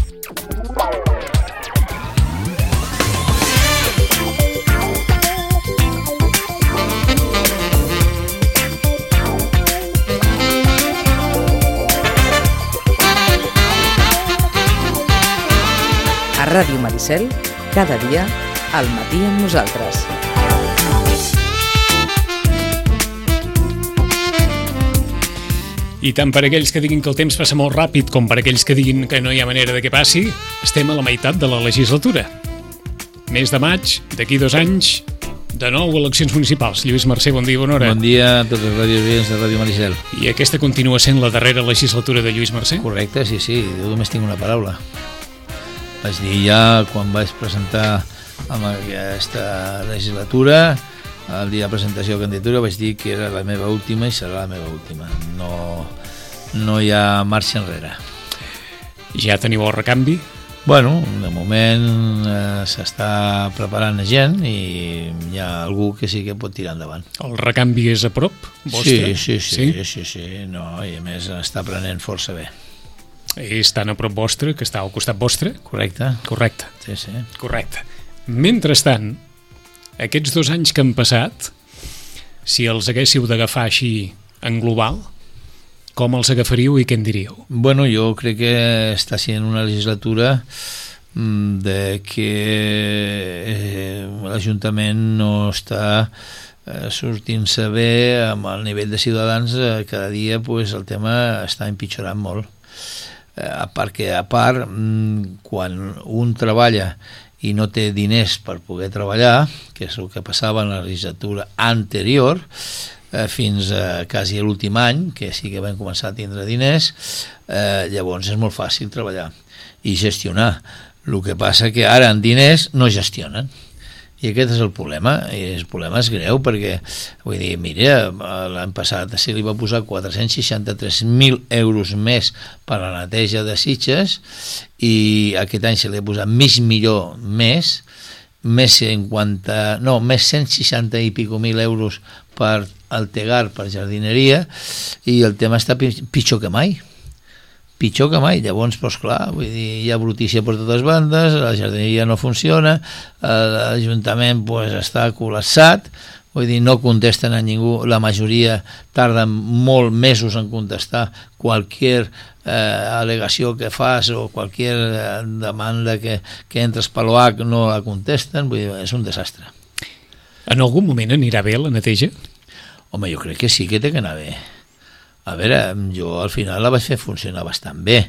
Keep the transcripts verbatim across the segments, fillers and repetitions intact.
A Ràdio Maricel, cada dia, al matí amb nosaltres. I tant per aquells que diguin que el temps passa molt ràpid com per aquells que diguin que no hi ha manera de que passi, estem a la meitat de la legislatura. Mes de maig, d'aquí dos anys, de nou eleccions municipals. Lluís Mercè, bon dia, bona hora. Bon dia a tots els radiovients de Ràdio Maricel. I aquesta continua sent la darrera legislatura de Lluís Mercè? Correcte, sí, sí, jo només tinc una paraula. Vaig dir ja quan vaig presentar amb aquesta legislatura, el dia de presentació de candidatura, vaig dir que era la meva última i serà la meva última. No, no hi ha marxa enrere. Ja teniu el recanvi? Bueno, de moment eh, s'està preparant gent i hi ha algú que sí que pot tirar endavant. El recanvi és a prop vostre? Sí, sí, sí, sí, sí, sí. No, i a més està prenent força bé. És tan a prop vostre que està al costat vostre? Correcte. Correcte. Sí, sí. Correcte. Mentrestant, aquests dos anys que han passat, si els haguéssiu d'agafar així en global, com els agafaríeu i què en diríeu? Bueno, jo crec que està sent una legislatura de que eh, l'Ajuntament no està eh, sortint-se bé amb el nivell de ciutadans. Eh, cada dia pues, el tema està empitjorant molt. A part que, a part, quan un treballa i no té diners per poder treballar, que és el que passava en la legislatura anterior, eh, fins a quasi l'últim any, que sí que vam començar a tindre diners, eh, llavors és molt fàcil treballar i gestionar. El que passa que ara en diners no gestionen. I aquest és el problema, i el problema és greu perquè, vull dir, mira, l'any passat se li va posar quatre-cents seixanta-tres mil euros més per a la neteja de Sitges i aquest any se li ha posat mig milió més, més cinquanta, no, més cent seixanta i pico mil euros per al Tegar, per jardineria, i el tema està pitjor que mai. pitjor que mai. Llavors, doncs clar, vull dir, hi ha brutícia per totes bandes, la jardineria no funciona, l'Ajuntament doncs, està col·lapsat, vull dir, no contesten a ningú, la majoria tarden molt mesos en contestar qualsevol eh, al·legació que fas o qualsevol demanda que, que entres per l'O H no la contesten, vull dir, és un desastre. En algun moment anirà bé la neteja? Home, jo crec que sí que té que anar bé. A veure, jo al final la vaig fer funcionar bastant bé,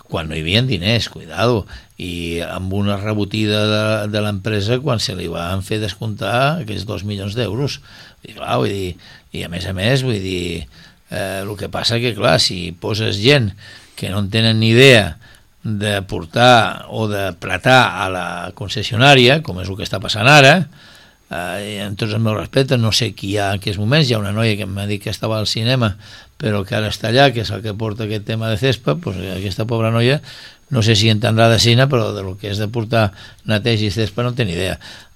quan no hi havia diners, cuidado, i amb una rebotida de, de l'empresa quan se li van fer descomptar aquests dos milions d'euros. I clar, vull dir, i a més a més, vull dir, eh, el que passa que, clar, si poses gent que no en tenen ni idea de portar o de pratar a la concessionària, com és el que està passant ara, eh, amb tots els meus respectes, no sé qui hi ha en aquests moments, hi ha una noia que m'ha dit que estava al cinema, però que ara està allà, que és el que porta aquest tema de Cespa, doncs aquesta pobra noia, no sé si entendrà de cine, però del que és de portar neteja i Cespa no té ni idea.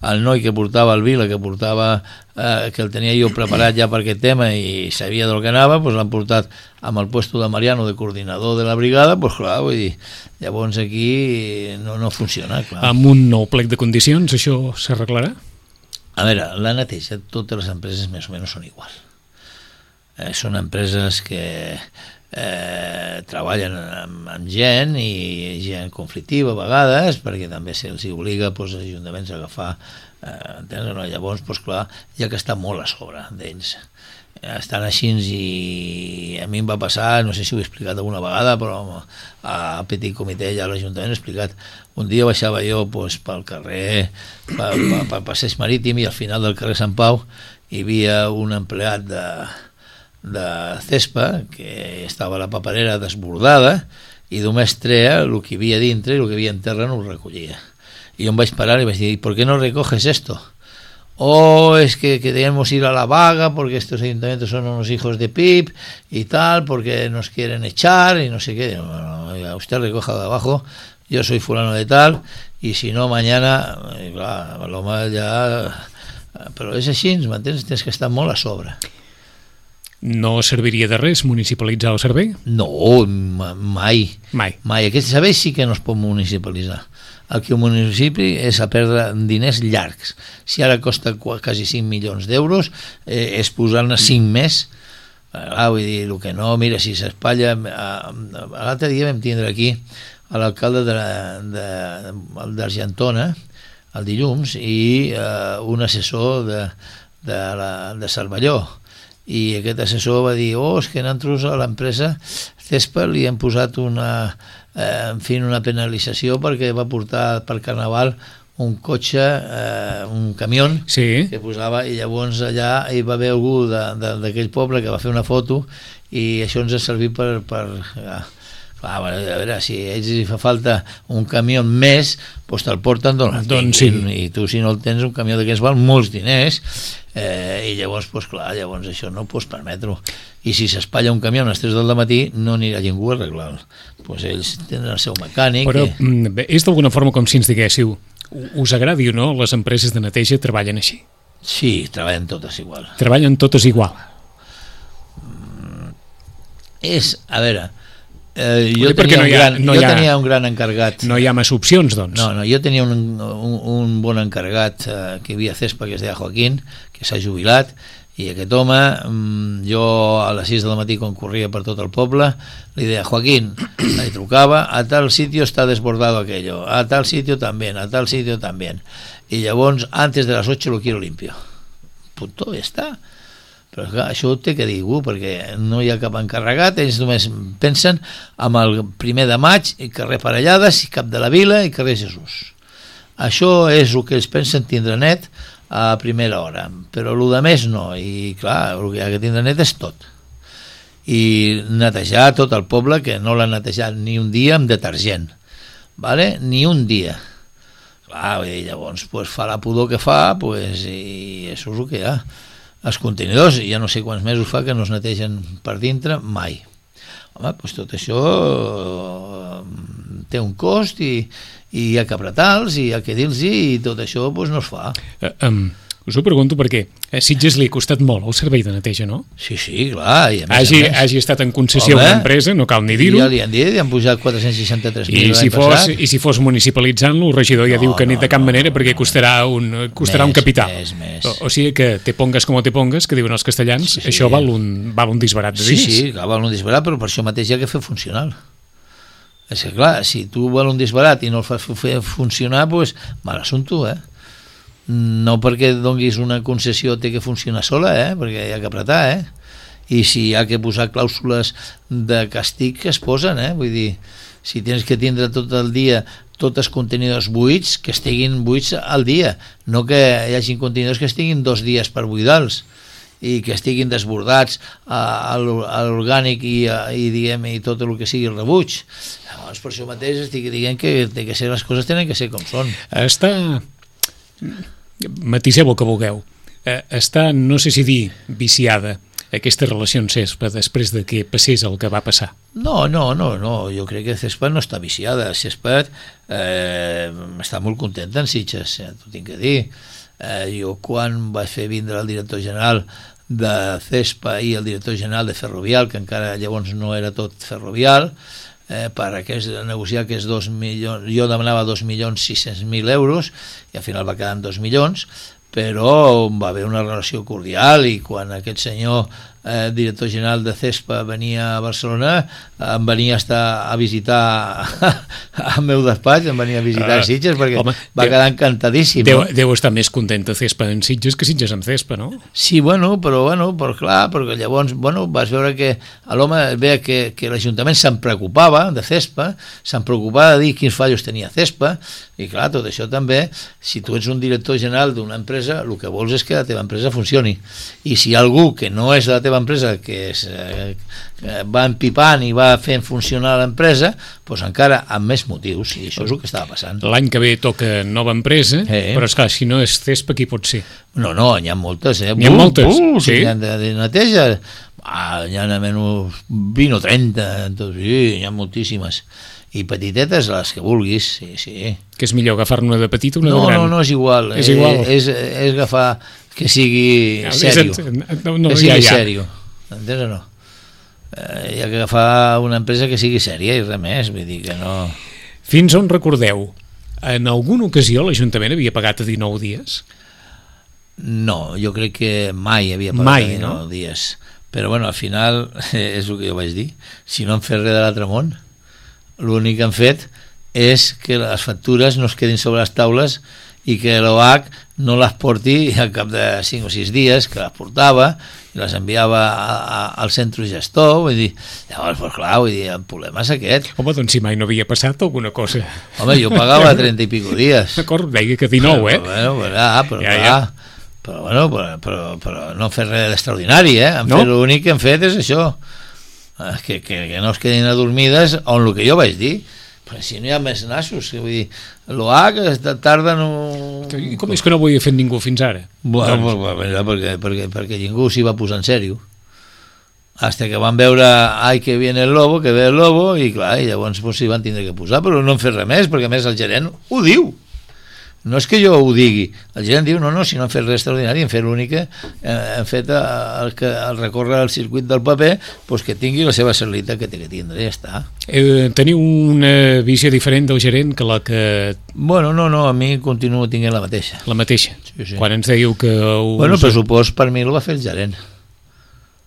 El noi que portava el Vila, que portava, eh, que el tenia jo preparat ja per aquest tema i sabia del que anava, doncs l'han portat amb el puesto de Mariano de coordinador de la brigada, doncs clar, vull dir, llavors aquí no, no funciona, clar. Amb un nou plec de condicions això s'arreglarà? A veure, la neteja, totes les empreses més o menys són iguals. Eh, són empreses que eh, treballen amb, amb gent i gent conflictiva a vegades, perquè també se'ls obliga doncs, als ajuntaments a agafar eh, entens, no? Llavors, doncs, clar, hi ha que estar molt a sobre d'ells. Estan així i a mi em va passar, no sé si ho he explicat alguna vegada, però a Petit Comitè ja a l'Ajuntament he explicat. Un dia baixava jo doncs, pel carrer, pel, pel passeig marítim, i al final del carrer Sant Pau hi havia un empleat de de Cespa, que estava a la paperera desbordada, i només treia el que hi havia dintre i el que hi havia en terra no ho recollia. I jo em vaig parar i vaig dir, ¿por qué no recoges esto? Oh, es que queremos ir a la vaga porque estos ayuntamientos son unos hijos de pip y tal, porque nos quieren echar y no sé qué. No, no, usted recoja de abajo, yo soy fulano de tal, y si no mañana, i clar, l'home ja... Però és així, m'entens? Tens que estar molt a sobre. No serviria de res municipalitzar el servei? No, mai. Mai. Mai. Aquest servei sí que no es pot municipalitzar. El que el municipi és a perdre diners llargs. Si ara costa quasi cinc milions d'euros, eh, és posar-ne cinc més. Ah, vull dir, el que no, mira, si s'espatlla... L'altre dia vam tindre aquí a l'alcalde d'Argentona, el dilluns, i eh, un assessor de, de, la, de Cervelló. I aquest assessor va dir, oh, és que nosaltres a l'empresa Cespa li hem posat una, eh, en fi, una penalització perquè va portar per Carnaval un cotxe, eh, un camió sí. que posava, i llavors allà hi va haver algú d'aquell poble que va fer una foto i això ens ha servit per... per ja. Clar, a veure, si a ells hi fa falta un camió més, doncs te'l porten d'on el doncs tinguin, sí. I tu si no el tens, un camió d'aquests val molts diners, eh, i llavors, doncs clar, llavors això no ho pots permetre. I si s'espatlla un camió a les tres del matí, no anirà ningú a arreglar-lo. Doncs ells tenen el seu mecànic. Però i... és d'alguna forma com si ens diguéssiu, us agradi o no, les empreses de neteja treballen així? Sí, treballen totes igual. Treballen totes igual? Mm, és, a veure... Eh, jo, tenia tenia, no un ha, gran, no jo ha, tenia un gran encarregat. No hi ha massa opcions, doncs? No, no, jo tenia un, un, un bon encarregat eh, que hi havia a Cespa, que es deia Joaquín, que s'ha jubilat, i aquest home, jo a les sis del matí, quan corria per tot el poble, li deia, Joaquín, li trucava, a tal sitio està desbordado aquello, a tal sitio también, a tal sitio también. I llavors, antes de las ocho lo quiero limpio. Punto, ja està. Però clar, això ho té que dir algú, perquè no hi ha cap encarregat, ells només pensen amb el primer de maig, i carrer Parellades, i Cap de la Vila, i carrer Jesús. Això és el que ells pensen tindre net a primera hora, però el de més no, i clar, el que hi ha que tindre net és tot. I netejar tot el poble, que no l'ha netejat ni un dia amb detergent, vale? Ni un dia. Clar, i llavors pues, fa la pudor que fa, pues, i això és el que hi ha. Els contenidors, ja no sé quants mesos fa que no es netegen per dintre, mai. Home, doncs tot això té un cost i, i hi ha que apretar-los i hi ha que dir-los i tot això doncs, no es fa. Uh, um, us ho pregunto perquè a Sitges li ha costat molt el servei de neteja, no? Sí, sí, clar. I a més, hagi, a més, hagi estat en concessió una empresa, no cal ni dir-ho. Ja li han dit, li han posat quatre-cents seixanta-tres mil I, si l'any fos, passat. I si fos municipalitzant-lo, el regidor ja No, diu que no, ni de cap no, manera no, perquè no. costarà un, costarà Més, un capital. més, més. O, o sigui que te pongues com te pongues, que diuen els castellans, Sí, sí. això val un, val un disbarat de Sí, diners. sí, clar, val un disbarat, però per això mateix hi ha que fer funcionar. És que clar, si tu val un disbarat i no el fas fer funcionar, doncs mal assumpte, eh? No perquè donguis una concessió té que funcionar sola, eh? Perquè hi ha que apretar, eh? I si hi ha que posar clàusules de castig que es posen, eh? Vull dir, si tens que tindre tot el dia tots els contenidors buits, que estiguin buits al dia, no que hi hagi contenidors que estiguin dos dies per buidar-los i que estiguin desbordats a, a l'orgànic i, a, i, diguem, i tot el que sigui el rebuig. Llavors, per això mateix estic dient que, que ser, les coses tenen que ser com són. Està... matiseu el que vulgueu. Està, no sé si dir, viciada aquesta relació amb Cespa després de que passés el que va passar. No, no, no, no. Jo crec que Cespa no està viciada. Cespa eh, està molt contenta en Sitges, eh, t'ho tinc que dir. Eh, jo quan vaig fer vindre el director general de Cespa i el director general de Ferrovial, que encara llavors no era tot Ferrovial, eh, per aquest, negociar aquests dos milions, jo demanava dos milions sis-cents mil euros i al final va quedar en dos milions, però va haver una relació cordial i quan aquest senyor eh, director general de Cespa venia a Barcelona, em venia a, estar a visitar al meu despatx, em venia a visitar uh, Sitges perquè home, va deu, quedar encantadíssim. Deu, no? deu estar més contenta Cespa en Sitges que Sitges en Cespa, no? Sí, bueno, però, bueno, però clar, perquè llavors bueno, vas veure que l'home veia que, que l'Ajuntament se'n preocupava de Cespa, se'n preocupava de dir quins fallos tenia Cespa, i clar, tot això també, si tu ets un director general d'una empresa, el que vols és que la teva empresa funcioni. I si hi ha algú que no és de la teva empresa, que, és, eh, que va empipant i va fent funcionar l'empresa, doncs encara amb més motius, i això és el que estava passant. L'any que ve toca nova empresa, eh. però esclar, si no és Cespa, qui pot ser? No, no, n'hi ha moltes, eh? N'hi ha moltes, uh, sí. N'hi ha de, de neteja, ah, n'hi ha almenys vint o trenta, doncs, sí, n'hi ha moltíssimes. I petitetes, les que vulguis, sí, sí. Que és millor agafar-ne una de petita o una no, de gran? No, no, és igual. És igual. Eh, és, és agafar que sigui no, sèrio. No, no, que sigui ja, ja. sèrio. entens o no? Eh, hi ha que agafar una empresa que sigui sèria i res més, vull dir que no... Fins on recordeu? En alguna ocasió l'Ajuntament havia pagat a dinou dies? No, jo crec que mai havia pagat mai, a dinou no? dies. Però bueno, al final és el que jo vaig dir. Si no han fet res de l'altre món, l'únic que han fet és que les factures no es quedin sobre les taules i que l'O H no les porti al cap de cinc o sis dies, que les portava i les enviava a, a, al centre gestor, vull dir, llavors, pues clar, vull dir, el problema és aquest. Home, doncs si mai no havia passat alguna cosa. Home, jo pagava trenta i pico dies. D'acord, deia que dinou, eh? Però, bueno, però, però, ja, clar, ja. però, bueno, però, però, però no han fet res d'extraordinari, eh? Han no? fet, l'únic que han fet és això, que, que, que no es quedin adormides on el que jo vaig dir. Però si no hi ha més nassos, vull dir, l'O H tarda no... I com és que no ho havia fet ningú fins ara? Bueno, doncs... pues, perquè, perquè, perquè ningú s'hi va posar en sèrio. Hasta que van veure, ai, que viene el lobo, que ve el lobo, i clar, i llavors pues, s'hi van tindre que posar, però no han fet res més, perquè a més el gerent ho diu. No és que jo ho digui, el gerent diu, no, no, si no han fet res extraordinari, han fet l'únic que eh, han fet el, que, el recórrer el circuit del paper, pues que tingui la seva celeritat que té que tindre, ja està. Eh, teniu una visió diferent del gerent que la que... Bueno, no, no, a mi continuo tinguent la mateixa. La mateixa? Sí, sí. Quan ens dèieu que... Us... Bueno, el pressupost per mi el va fer el gerent.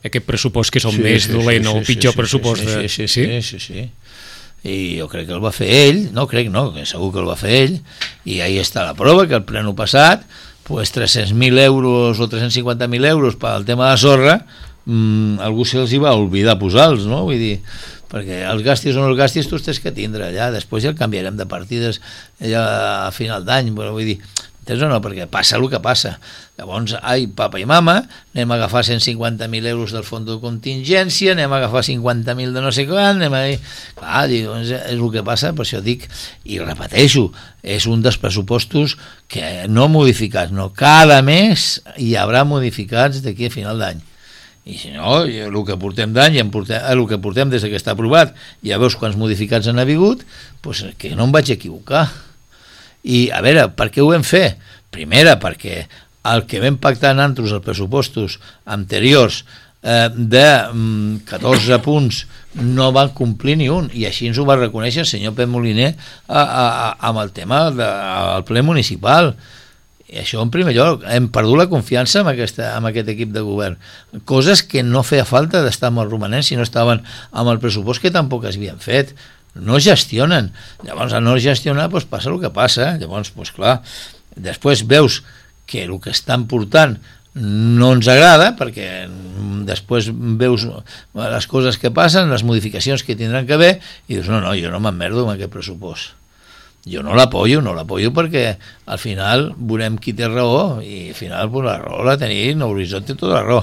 Aquest pressupost que és el sí, més sí, dolent sí, o el sí, pitjor sí, pressupost sí, de... sí, sí, sí, sí, sí. I jo crec que el va fer ell, no crec no, que segur que el va fer ell, i ahí està la prova, que el pleno passat pues tres-cents mil euros o tres-cents cinquanta mil euros pel tema de la sorra, mmm, algú se'ls hi va oblidar posar-los, no? Vull dir, perquè els gastis o no els gastis tu els tens que tindre allà, després ja el canviarem de partides ja a final d'any, però vull dir, entens o no? Perquè passa el que passa. Llavors, ai, papa i mama, anem a agafar cent cinquanta mil euros del fons de contingència, anem a agafar cinquanta mil de no sé quan, anem a... Clar, doncs és el que passa, per això dic, i repeteixo, és un dels pressupostos que no modificats, no, cada mes hi haurà modificats d'aquí a final d'any. I si no, el que portem d'any, el que portem des que està aprovat, ja veus quants modificats han hagut, doncs que no em vaig equivocar. I a veure, per què ho vam fer? Primera, perquè el que vam pactar nosaltres els pressupostos anteriors eh, de mm, catorze punts no van complir ni un, i així ens ho va reconèixer el senyor Pep Moliner a, a, a, amb el tema del ple municipal. I això en primer lloc, hem perdut la confiança en, aquesta, en aquest equip de govern, coses que no feia falta d'estar amb els romanents si no estaven amb el pressupost, que tampoc es havien fet. No gestionen, llavors a no gestionar doncs passa el que passa, llavors doncs clar, després veus que el que estan portant no ens agrada, perquè després veus les coses que passen, les modificacions que tindran que haver, i dius, no, no, jo no m'emmerdo amb aquest pressupost. Jo no l'apoyo, no l'apoyo perquè al final veurem qui té raó i al final pues, la raó la tenim, l'horitzó té tota la raó.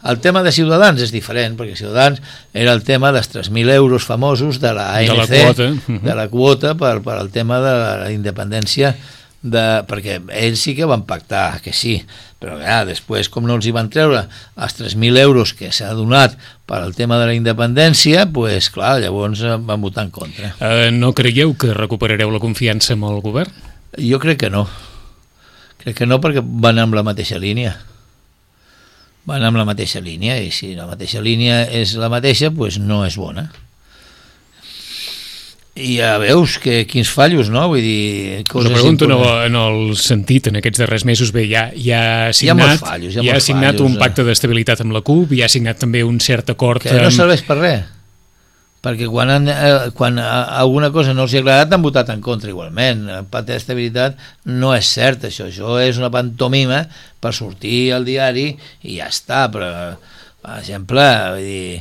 El tema de Ciutadans és diferent, perquè Ciutadans era el tema dels tres mil euros famosos de la A N C, de la quota, de la quota per, per al tema de la independència, de, perquè ells sí que van pactar que sí, però ja, després com no els hi van treure els tres mil euros que s'ha donat per al tema de la independència, pues, clar, llavors van votar en contra. Uh, no creieu que recuperareu la confiança amb el govern? Jo crec que no. Crec que no, perquè van amb la mateixa línia. Van amb la mateixa línia, i si la mateixa línia és la mateixa, pues no és bona. I ja veus que quins fallos, no? Vull dir... Us ho pregunto en el, en el sentit, en aquests darrers mesos, bé, ja, ja ha signat, hi ha fallos, hi ha ja ha signat fallos, un pacte d'estabilitat amb la CUP, i ha signat també un cert acord... Que no serveix per res, perquè quan, han, eh, quan alguna cosa no els ha agradat han votat en contra igualment. El pacte d'estabilitat no és cert, això, això és una pantomima per sortir al diari i ja està, però, per exemple, vull dir,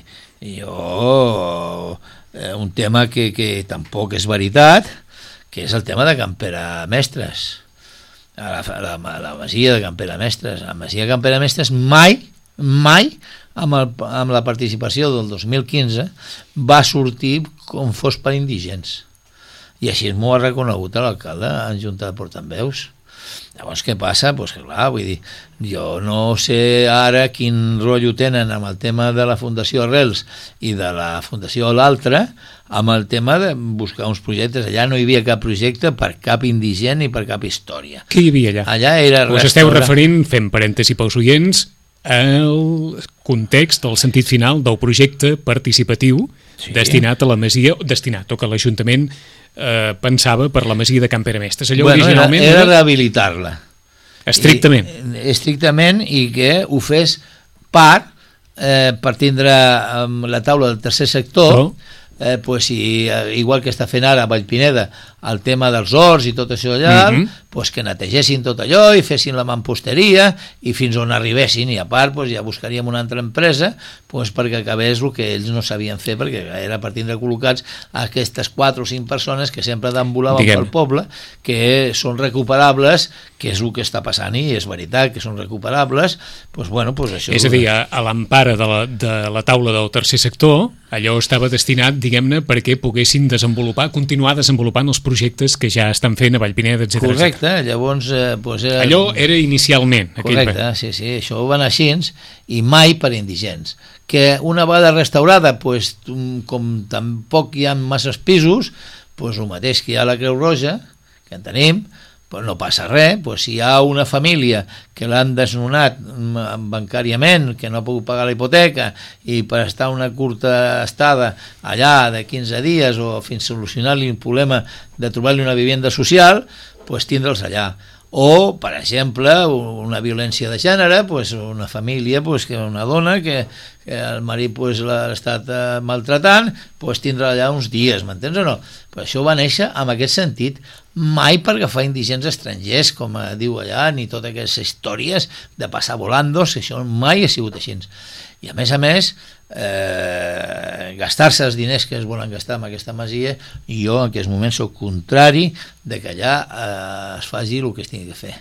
jo... un tema que, que tampoc és veritat, que és el tema de Campera Mestres, a la, a la, a la masia de Campera Mestres. La masia de Campera Mestres mai, mai, amb, el, amb la participació del dos mil quinze, va sortir com fos per indigents. I així m'ho ha reconegut l'alcalde en junta de portaveus. Llavors què passa? Pues que clar, vull dir, jo no sé ara quin rotllo tenen amb el tema de la Fundació Arrels i de la Fundació l'altra, amb el tema de buscar uns projectes. Allà no hi havia cap projecte per cap indigent ni per cap història. Què hi havia allà? Allà era... Us esteu referint, fent parèntesi pels oients, el context, el sentit final del projecte participatiu sí. destinat a la Masia, destinat, o que l'Ajuntament eh, pensava per la Masia de Can Pere Mestres. Allò bueno, originalment era, era rehabilitar-la. Estrictament. I, estrictament, i que ho fes part, eh, per tindre eh, la taula del tercer sector, oh. eh, pues, i, igual que està fent ara a Vallpineda, el tema dels horts i tot això allà, mm-hmm. pues que netegessin tot allò i fessin la mamposteria i fins on arribessin, i a part pues, ja buscaríem una altra empresa pues, perquè acabés el que ells no sabien fer, perquè era per tindre col·locats aquestes quatre o cinc persones que sempre deambulaven Diguem. pel poble, que són recuperables, que és el que està passant, i és veritat que són recuperables, pues, bueno, pues això... És a dir, a, a l'empara de, la, de la taula del tercer sector, allò estava destinat, diguem-ne, perquè poguessin desenvolupar, continuar desenvolupant els projectes que ja estan fent a Vallpineda, etcètera. Correcte, llavors... Eh, pues era... Allò era inicialment. Correcte, aquell... sí, sí, això va anar així, i mai per indigents. Que una vegada restaurada, pues, com tampoc hi ha masses pisos, pues, el mateix que hi ha a la Creu Roja, que en tenim, pues no passa res, pues si hi ha una família que l'han desnonat bancàriament, que no ha pogut pagar la hipoteca, i per estar una curta estada allà de quinze dies o fins solucionar-li un problema de trobar-li una vivenda social, pues tindre'ls allà. O, per exemple, una violència de gènere, pues una família, pues, que una dona que, que el marit pues, l'ha estat eh, maltratant, pues tindrà allà uns dies, m'entens o no? Però això va néixer amb aquest sentit, mai per agafar indigents estrangers, com eh, diu allà, ni totes aquestes històries de passar volandos, que això mai ha sigut així. I a més a més, eh, gastar-se els diners que es volen gastar en aquesta masia, i jo en aquests moments soc contrari de que allà eh, es faci el que es tingui que fer.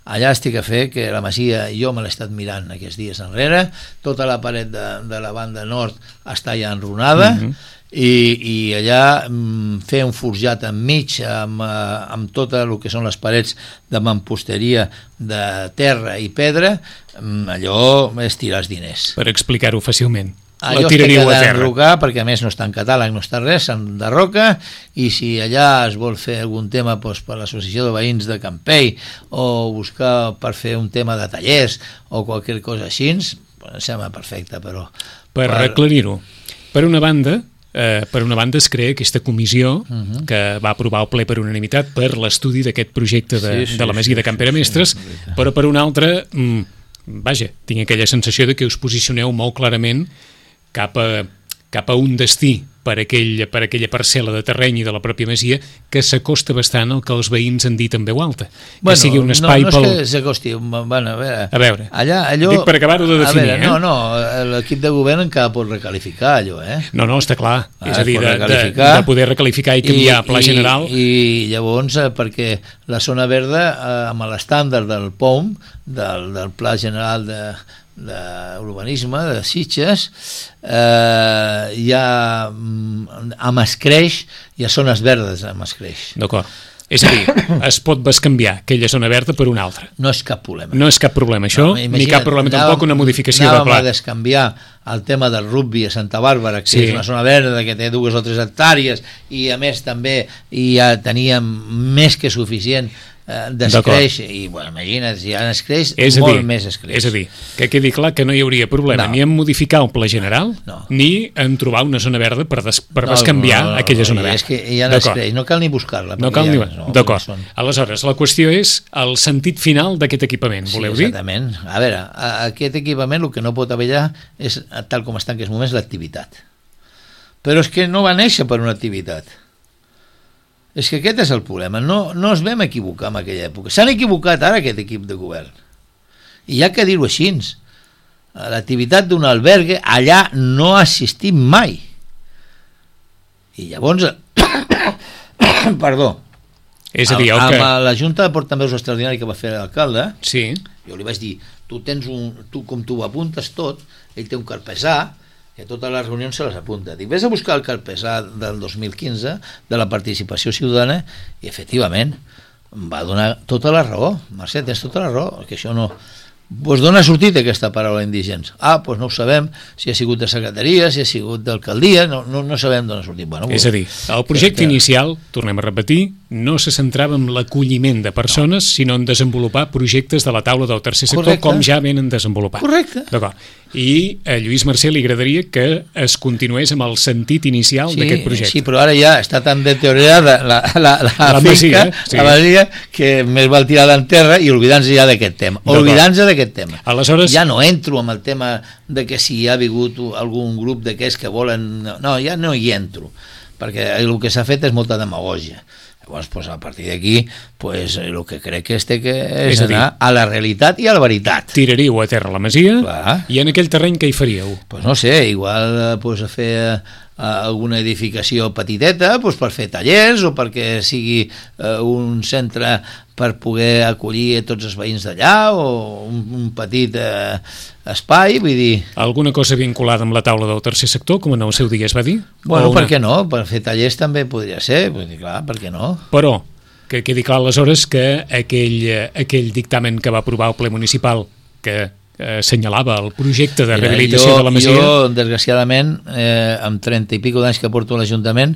Allà estic a fer que la masia, jo me l'he estat mirant aquests dies enrere, tota la paret de, de la banda nord està ja enrunada, mm-hmm. i, i allà mm, fer un forjat enmig amb, amb tot el que són les parets de mamposteria de terra i pedra, allò és tirar els diners. Per explicar-ho fàcilment. Allò es té que d'enrocar, perquè a més no està en catàleg, no està res, s'enderroca, i si allà es vol fer algun tema doncs, per l'associació de veïns de Campell, o buscar per fer un tema de tallers o qualsevol cosa així, doncs, em sembla perfecte, però... Per, per... aclarir-ho, per una banda, eh, per una banda es crea aquesta comissió uh-huh. que va aprovar el ple per unanimitat per l'estudi d'aquest projecte de, sí, sí, de la Masia sí, de Can Pere Mestres, sí, sí, però per una altra, mm, vaja, tinc aquella sensació de que us posicioneu molt clarament cap a, cap a un destí per, aquell, per aquella parcel·la de terreny i de la pròpia masia que s'acosta bastant al que els veïns han dit en veu alta. Bueno, que sigui un espai no, no pel... és que s'acosti, bueno, a veure... A veure, allà, allò, dic per acabar-ho de definir. Veure, eh? No, no, l'equip de govern encara pot recalificar allò, eh? No, no, està clar. Ah, és a dir, de, de, de poder recalificar i canviar I, pla i, general. I, i llavors, eh, perquè la zona verda, eh, amb l'estàndard del P O M, del, del Pla General de... d'urbanisme, de Sitges, eh, hi ha a Mascreix, hi ha zones verdes a Mascreix. D'acord. És a dir, es pot bescanviar aquella zona verda per una altra. No és cap problema. No és cap problema, això, no, ni cap problema anàvem, tampoc una modificació de pla. Anàvem a descanviar el tema del rugby a Santa Bàrbara, que sí. és una zona verda que té dues o tres hectàrees, i a més també ja teníem més que suficient d'escreix, i bueno, imagina't, si ja n'escreix, molt dir, més escreix. És a dir, que quedi clar que no hi hauria problema no. ni en modificar el pla general, no. ni en trobar una zona verda per, des, per no, bescanviar no, no, no, aquella zona verda. És que ja n'escreix, no cal ni buscar-la. No cal ja, ni... No, d'acord. Són... Aleshores, la qüestió és el sentit final d'aquest equipament, voleu sí, dir? Exactament. A veure, a, aquest equipament el que no pot haver allà és, tal com està en aquests moments, l'activitat. Però és que no va néixer per una activitat. És que aquest és el problema, no, no es vam equivocar en aquella època. S'han equivocat ara aquest equip de govern. I hi ha que dir-ho així. L'activitat d'un albergue allà no ha assistit mai. I llavors... Perdó. És a dir, el que... Amb la Junta de Portaveus Extraordinari que va fer l'alcalde, sí. jo li vaig dir, tu tens un... tu com tu ho apuntes tot, ell té un carpesà, que totes les reunions se les apunta. Dic, vés a buscar el carpesà del dos mil quinze de la participació ciutadana, i efectivament em va donar tota la raó. Mercè, tens tota la raó, que això no... Pues d'on ha sortit aquesta paraula indigents? Ah, doncs no ho sabem, si ha sigut de secretaria, si ha sigut d'alcaldia, no, no, no sabem d'on ha sortit. Bueno, és a dir, el projecte que... inicial, tornem a repetir, no se centrava en l'acolliment de persones, no. sinó en desenvolupar projectes de la taula del tercer sector, correcte, com ja venen desenvolupant. Correcte. D'acord. I a Lluís Mercè li agradaria que es continués amb el sentit inicial sí, d'aquest projecte. Sí, però ara ja està tan deteriorada la, la, la, la, la finca, masia, sí. la masia, que més val tirar-la en terra i oblidant-se ja d'aquest tema. Oblidant-se d'aquest tema. Aleshores... Ja no entro amb el tema de que si hi ha hagut algun grup d'aquests que volen... No, ja no hi entro, perquè el que s'ha fet és molta demagògia. Llavors, pues, a partir d'aquí, pues, el que crec que és, que és, és a anar dir, a la realitat i a la veritat. Tiraríeu a terra la masia. Clar. I en aquell terreny què hi faríeu? Pues no sé, igual pues, a fer a alguna edificació petiteta pues, per fer tallers o perquè sigui uh, un centre per poder acollir tots els veïns d'allà o un, un petit uh, espai, vull dir... Alguna cosa vinculada amb la taula del tercer sector, com en el seu dia es va dir? Bueno, una... per què no? Per fer tallers també podria ser, vull dir, clar, per què no? Però, que quedi clar aleshores que aquell, aquell dictamen que va aprovar el ple municipal, que assenyalava el projecte de rehabilitació Mira, jo, de la masia... Jo, desgraciadament, eh, amb trenta i pico d'anys que porto a l'Ajuntament,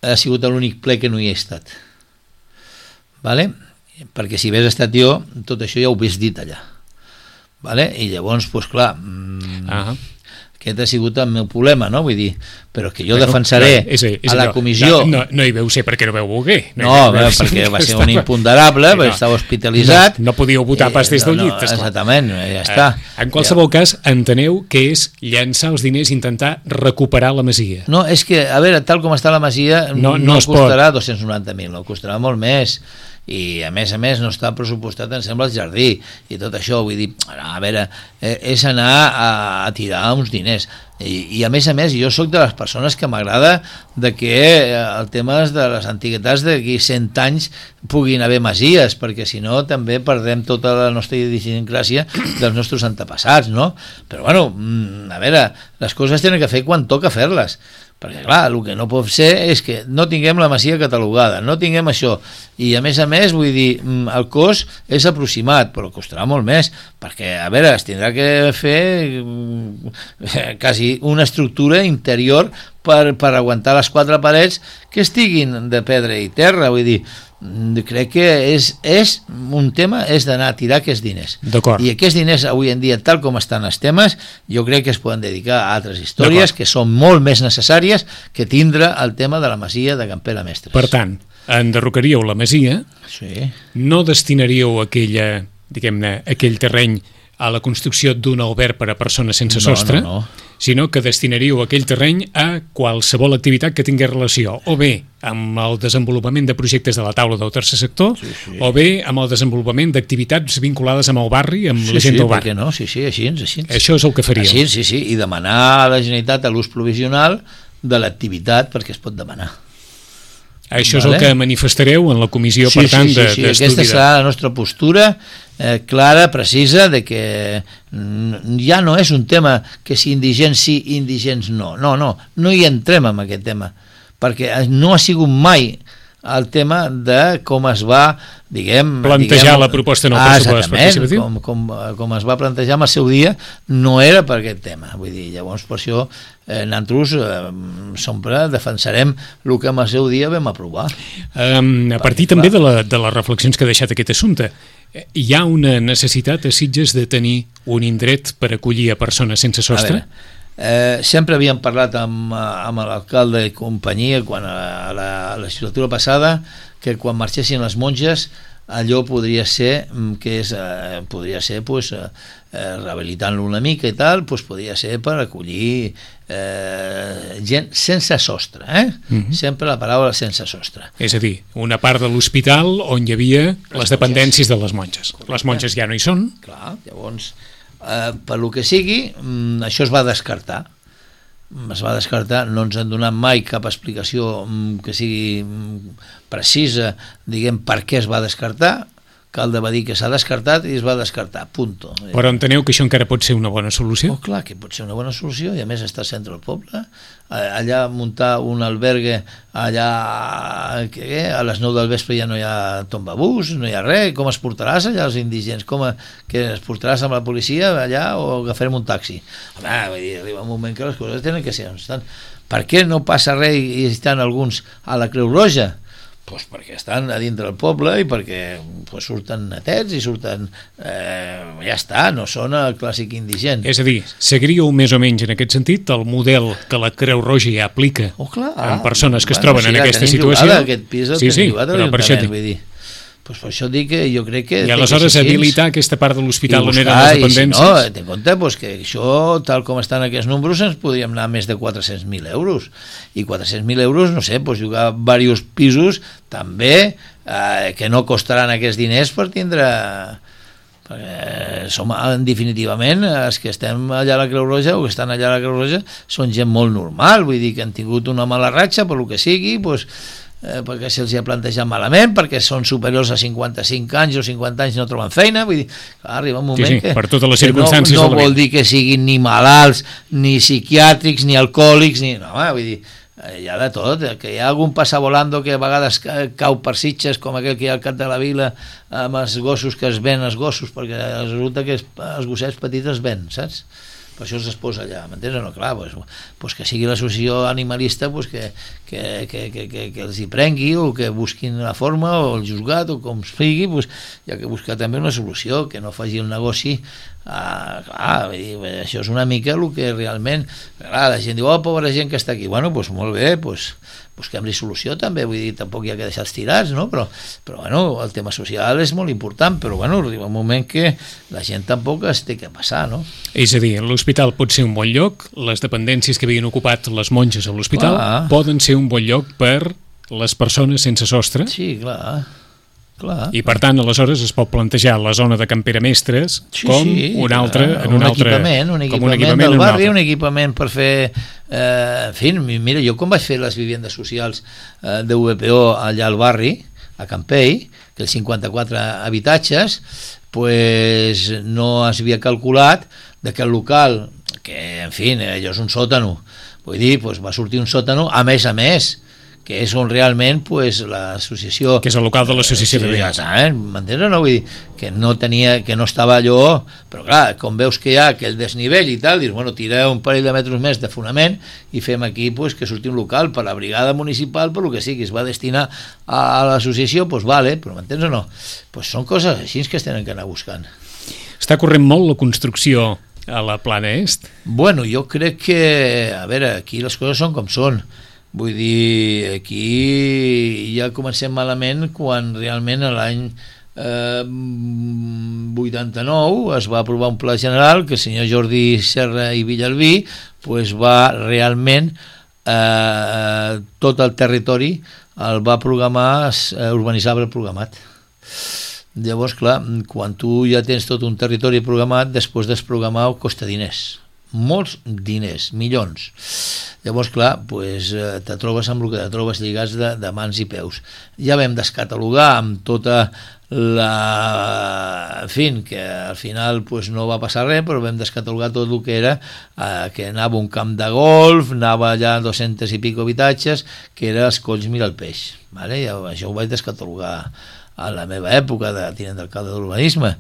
ha sigut l'únic ple que no hi he estat. Vale? Perquè si hagués estat jo, tot això ja ho hagués dit allà. Vale? I llavors, doncs clar, mmm, uh-huh. aquest ha sigut el meu problema, no? Vull dir, però que jo bueno, defensaré no, és, és a la allò. comissió... No, no, no hi veu ser perquè no veu voler. No, no, no perquè va ser un imponderable, sí, no, perquè estava hospitalitzat. No, no podíeu votar pas des del llit. No, no, exactament, ja està. En qualsevol ja. cas, enteneu que és llançar els diners i intentar recuperar la masia. No, és que, a veure, tal com està la masia, no, no, no costarà pot. dos-cents noranta mil, no costarà molt més. I a més a més no està pressupostat, em sembla, el jardí i tot això, vull dir, a veure, és anar a, a tirar uns diners i, i a més a més jo sóc de les persones que m'agrada de que el tema de les antiguitats d'aquí cent anys puguin haver masies, perquè si no també perdem tota la nostra idiosincràsia dels nostres antepassats, no? Però bueno, a veure, les coses tenen que fer quan toca fer-les, perquè clar, el que no pot ser és que no tinguem la masia catalogada, no tinguem això, i a més a més, vull dir, el cost és aproximat, però costarà molt més, perquè, a veure, es tindrà que fer quasi una estructura interior per, per aguantar les quatre parets que estiguin de pedra i terra, vull dir, crec que és, és un tema és d'anar a tirar aquests diners i aquests diners avui en dia tal com estan els temes jo crec que es poden dedicar a altres històries que són molt més necessàries que tindre el tema de la masia de Can Pere Mestres. Per tant, enderrocaríeu la masia, sí. no destinaríeu aquella, diguem-ne, aquell terreny a la construcció d'un alberg per a persones sense no, sostre, no, no. sinó que destinaríeu aquell terreny a qualsevol activitat que tingués relació, o bé amb el desenvolupament de projectes de la taula del tercer sector, sí, sí. o bé amb el desenvolupament d'activitats vinculades amb el barri, amb sí, la gent sí, del barri. Sí, no? sí, sí, així, així. Això és el que faríeu. Així, sí, sí, i demanar a la Generalitat l'ús provisional de l'activitat perquè es pot demanar. Això és vale. el que manifestareu en la comissió, sí, per tant, sí, sí, sí. d'estudi. Aquesta serà la nostra postura eh, clara, precisa, de que ja no és un tema que si indigents sí, indigents no. No, no, no hi entrem en aquest tema, perquè no ha sigut mai el tema de com es va, diguem... Plantejar diguem, la proposta en el pressupost participatiu. Com, com, com es va plantejar en el seu dia, no era per aquest tema. Vull dir, llavors per això eh, nosaltres eh, sempre defensarem el que en el seu dia vam aprovar. Um, a partir Perquè, també de, la, de les reflexions que ha deixat aquest assumpte, hi ha una necessitat a Sitges de tenir un indret per acollir a persones sense sostre? Eh, sempre havíem parlat amb, amb l'alcalde i companyia quan a la, a la legislatura passada que quan marxessin les monges allò podria ser que és, eh, podria ser pues, eh, rehabilitant-lo una mica i tal, pues, podria ser per acollir eh, gent sense sostre, eh? Uh-huh. Sempre la paraula sense sostre. És a dir, una part de l'hospital on hi havia les, les dependències de les monges. Les monges ja no hi són. Clar, llavors Uh, per lo que sigui, um, això es va descartar. Es va descartar, no ens han donat mai cap explicació um, que sigui um, precisa, diguem, per què es va descartar. Calde va dir que s'ha descartat i es va descartar, punto. Però enteneu que això encara pot ser una bona solució? Oh, clar que pot ser una bona solució, i a més està al centre del poble. Allà muntar un albergue, allà que a les nou del vespre ja no hi ha tombabús, no hi ha res, com es portaràs allà els indigents? Com a, que es portaràs amb la policia allà o agafarem un taxi? Home, vull dir, arriba un moment que les coses tenen que ser on estan. Per què no passa res i estan alguns a la Creu Roja? pues perquè estan a dintre del poble i perquè pues, surten netets i surten... Eh, ja està, no són el clàssic indigent. És a dir, seguiríeu més o menys en aquest sentit el model que la Creu Roja ja aplica oh, clar, en persones que bueno, es troben sí, en ja aquesta tenim situació? Jugada, aquest pis el sí, sí, jugat a però per això... vull dir, pues per això dic que jo crec que... I aleshores habilitar aquesta part de l'hospital on eren buscar, les dependències... I si no, ten compte pues, que això, tal com estan aquests números, ens podríem anar a més de quatre-cents mil euros. I quatre-cents mil euros, no sé, pues, jugar diversos pisos també, eh, que no costaran aquests diners per tindre... Perquè som, definitivament, els que estem allà a la Creu Roja o que estan allà a la Creu Roja són gent molt normal, vull dir que han tingut una mala ratxa, per lo que sigui, doncs... Eh, perquè se'ls ha plantejat malament, perquè són superiors a cinquanta-cinc anys o cinquanta anys no troben feina, vull dir, clar, arriba un moment sí, sí, que, per totes les que circumstàncies no, no vol dir que siguin ni malalts, ni psiquiàtrics, ni alcohòlics, ni... No, home, vull dir, hi ha de tot, que hi ha algun passavolando que a vegades cau per Sitges, com aquell que hi ha al cap de la vila, amb els gossos que es ven, els gossos, perquè resulta que els gossets petits es ven, saps? Per això es posa allà, m'entens o no? Clar, pues, pues que sigui l'associació animalista pues que, que, que, que, que, que els hi prengui o que busquin la forma o el juzgat o com sigui, pues, hi ha que buscar també una solució, que no faci el negoci. Ah, clar, això és una mica el que realment, clar, la gent diu, oh, pobra gent que està aquí, bueno, doncs molt bé, doncs busquem-li solució també, vull dir, tampoc hi ha que deixar-los tirats, no? Però, però bueno, el tema social és molt important, però bueno, arriba un moment que la gent tampoc es té que passar, no? És a dir, l'hospital pot ser un bon lloc, les dependències que havien ocupat les monges a l'hospital clar. Poden ser un bon lloc per les persones sense sostre. Sí, clar. Clar. I per tant, aleshores es pot plantejar la zona de Camperamestres sí, com sí, un altre, clar. en un, un altre, equipament, un equipament, un equipament del barri, un, un equipament per fer eh, en fi, mira, jo com vaig fer les vivendes socials eh, de U V P O allà al barri, a Campell, que els cinquanta-quatre habitatges, pues no es havia calculat de que el local, que en fi, allò és un sòtano, vull dir, pues va sortir un sòtano a més a més, que és on realment pues, l'associació... Que és el local de l'associació de veïns. Eh? M'entens o no? Vull dir, que no tenia, que no estava allò... Però clar, com veus que hi ha aquell desnivell i tal, dius, bueno, tira un parell de metres més de fonament i fem aquí pues, que surti un local per la brigada municipal, per lo que sigui, es va destinar a, a l'associació, doncs pues, vale, però m'entens o no? Pues són coses així que es tenen que anar buscant. Està corrent molt la construcció a la Plana Est? Bueno, jo crec que... A veure, aquí les coses són com són. Vull dir, aquí ja comencem malament quan realment l'any eh, vuitanta-nou es va aprovar un pla general que el senyor Jordi Serra i Villalbí pues, va realment eh, tot el territori el va programar eh, urbanitzable programat. Llavors, clar, quan tu ja tens tot un territori programat, després desprogramar costa diners, molts diners, milions. Llavors, clar, pues, te trobes amb el que te trobes lligats de, de mans i peus. Ja vam descatalogar amb tota la... En fi, que al final pues, no va passar res, però vam descatalogar tot el que era, eh, que anava un camp de golf, anava allà dos-cents i pico habitatges, que era els Colls Mira el Peix. Vale? Ja, això ho vaig descatalogar a la meva època de tinent d'alcalde d'urbanisme.